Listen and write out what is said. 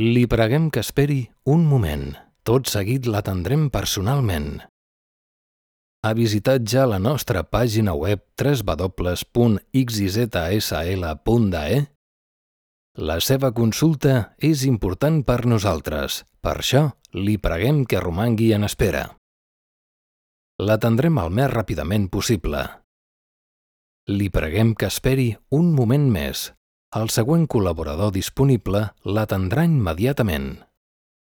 Li preguem que esperi un moment. Tot seguit l'atendrem personalment. Ha visitat ja la nostra pàgina web www.xyzsl.de? La seva consulta és important per nosaltres. Per això, li preguem que romangui en espera. L'atendrem el més ràpidament possible. Li preguem que esperi un moment més. El següent col·laborador disponible l'atendrà immediatament.